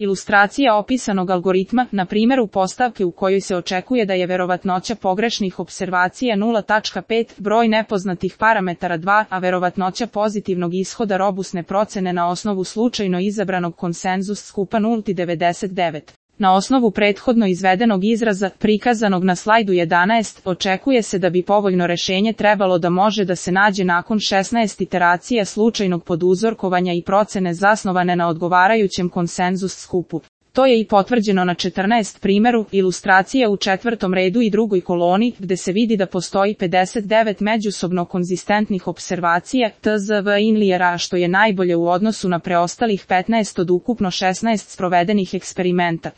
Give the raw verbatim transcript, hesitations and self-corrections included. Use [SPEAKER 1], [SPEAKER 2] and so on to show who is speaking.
[SPEAKER 1] Ilustracija opisanog algoritma, na primjeru postavke u kojoj se očekuje da je verovatnoća pogrešnih observacija nula zarez pet, broj nepoznatih parametara dva, a verovatnoća pozitivnog ishoda robusne procene na osnovu slučajno izabranog konsenzus skupa nula zarez devedeset devet. Na osnovu prethodno izvedenog izraza, prikazanog na slajdu jedanaest, očekuje se da bi povoljno rešenje trebalo da može da se nađe nakon šesnaest iteracija slučajnog poduzorkovanja i procene zasnovane na odgovarajućem konsenzus skupu. To je i potvrđeno na četrnaest primjeru, ilustracija u četvrtom redu i drugoj koloni, gde se vidi da postoji pedeset devet međusobno konzistentnih observacija, T Z V inlijera, što je najbolje u odnosu na preostalih petnaest od ukupno šesnaest sprovedenih eksperimenta.